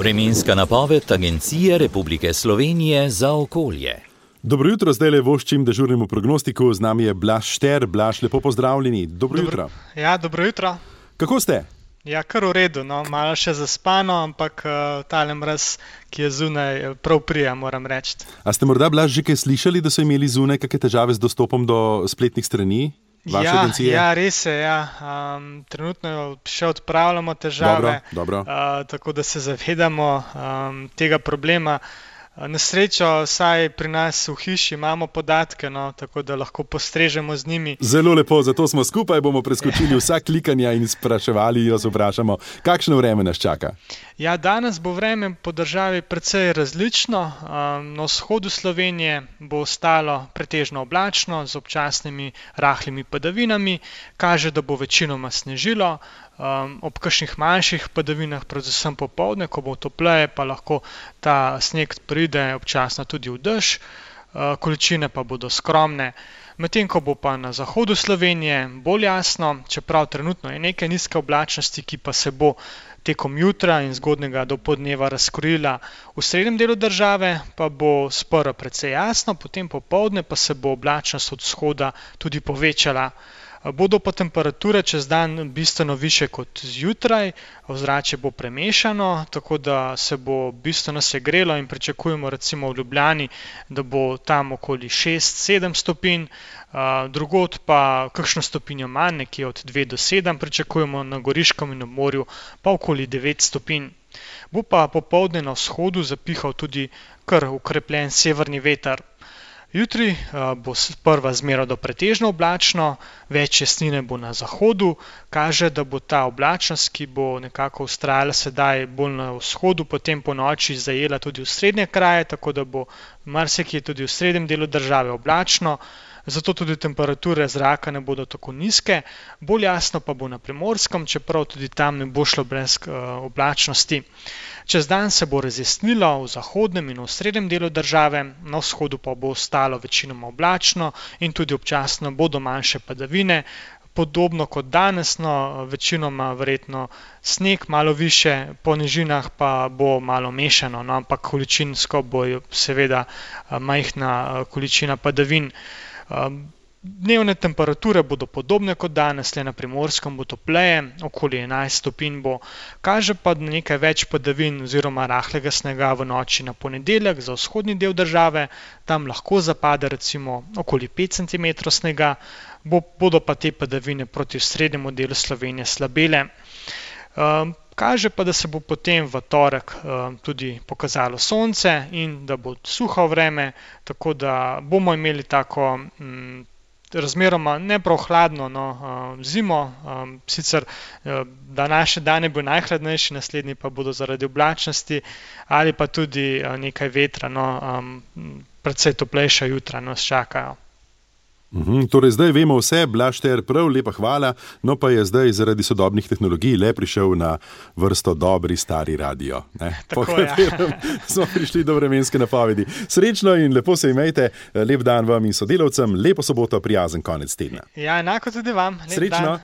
Vremenska napoved Agencije Republike Slovenije za okolje. Dobro jutro, zdaj le voščim dežurnemu prognostiku, z nami je Blaž Šter. Blaž, lepo pozdravljeni. Dobro jutro. Ja, dobro jutro. Kako ste? Ja, kar v redu, no, malo še zaspano, ampak tale mraz, ki je zunaj, prav prija, moram reči. A ste morda, Blaž, že kaj slišali, da so imeli zunaj kakšne težave z dostopom do spletnih strani vaše agencije? Ja, res je, ja. Trenutno še odpravljamo težave, Dobro. Tako da se zavedamo tega problema. Na srečo, saj pri nas v hiši imamo podatke, no, tako da lahko postrežemo z njimi. Zelo lepo, zato smo skupaj, bomo preskočili vsa klikanja in spraševali, jo vprašamo, kakšno vreme nas čaka. Ja, danes bo vreme po državi precej različno. Na vzhodu Slovenije bo ostalo pretežno oblačno z občasnimi rahlimi padavinami. Kaže, da bo večinoma snežilo. Ob kakšnih manjših padavinah, predvsem popoldne, ko bo topleje, pa lahko ta sneg pride občasno tudi v dež, količine pa bodo skromne. Medtem ko bo pa na zahodu Slovenije bolj jasno, čeprav trenutno je nekaj nizke oblačnosti, ki pa se bo tekom jutra in zgodnjega dopoldneva razkrila v srednjem delu države, pa bo sprva precej jasno, potem popoldne pa se bo oblačnost od vzhoda tudi povečala. Bodo pa temperature čez dan bistveno više kot zjutraj, ozračje bo premešano, tako da se bo bistveno segrelo in pričakujemo recimo v Ljubljani, da bo tam okoli 6-7 stopinj, drugod pa kakšno stopinjo manj, nekje od 2 do 7 pričakujemo, na Goriškem in na morju pa okoli 9 stopinj. Bo pa popoldne na vzhodu zapihal tudi kar ukrepljen severni veter. Jutri bo sprva zmeraj do pretežno oblačno, več jasnine bo na zahodu, kaže, da bo ta oblačnost, ki bo nekako vztrajala sedaj bolj na vzhodu, potem po noči zajela tudi v srednje kraje, tako da bo marsikje tudi v srednjem delu države oblačno, zato tudi temperature zraka ne bodo tako nizke, bolj jasno pa bo na Primorskem, čeprav tudi tam ne bo šlo brez oblačnosti. Čez dan se bo razjasnilo v zahodnem in v srednjem delu države, na vzhodu pa bo ostalo večinoma oblačno in tudi občasno bodo manjše padavine, podobno kot danes, no, večinoma verjetno sneg malo više, po nižinah pa bo malo mešano, no, ampak količinsko bo seveda majhna količina padavin. Dnevne temperature bodo podobne kot danes, le na Primorskem bo topleje, okoli 11 stopinj bo, kaže pa nekaj več padavin oziroma rahlega snega v noči na ponedeljek za vzhodni del države, tam lahko zapade recimo okoli 5 cm snega, bodo pa te padavine proti srednjemu delu Slovenije slabele. Kaže pa, da se bo potem v torek tudi pokazalo sonce in da bo suho vreme, tako da bomo imeli tako razmeroma ne prav hladno zimo, sicer današnji dan je bil najhladnejši, naslednji pa bodo zaradi oblačnosti ali pa tudi nekaj vetra, precej toplejša jutra nas čakajo. Torej zdaj vemo vse, Blaž Šter, prav lepa hvala, no pa je zdaj zaradi sodobnih tehnologij le prišel na vrsto dobri stari radio, po katerem smo prišli do vremenske napovedi. Srečno in lepo se imejte, lep dan vam in sodelavcem, lepo soboto, prijazen konec tedna. Ja, enako tudi vam. Srečno.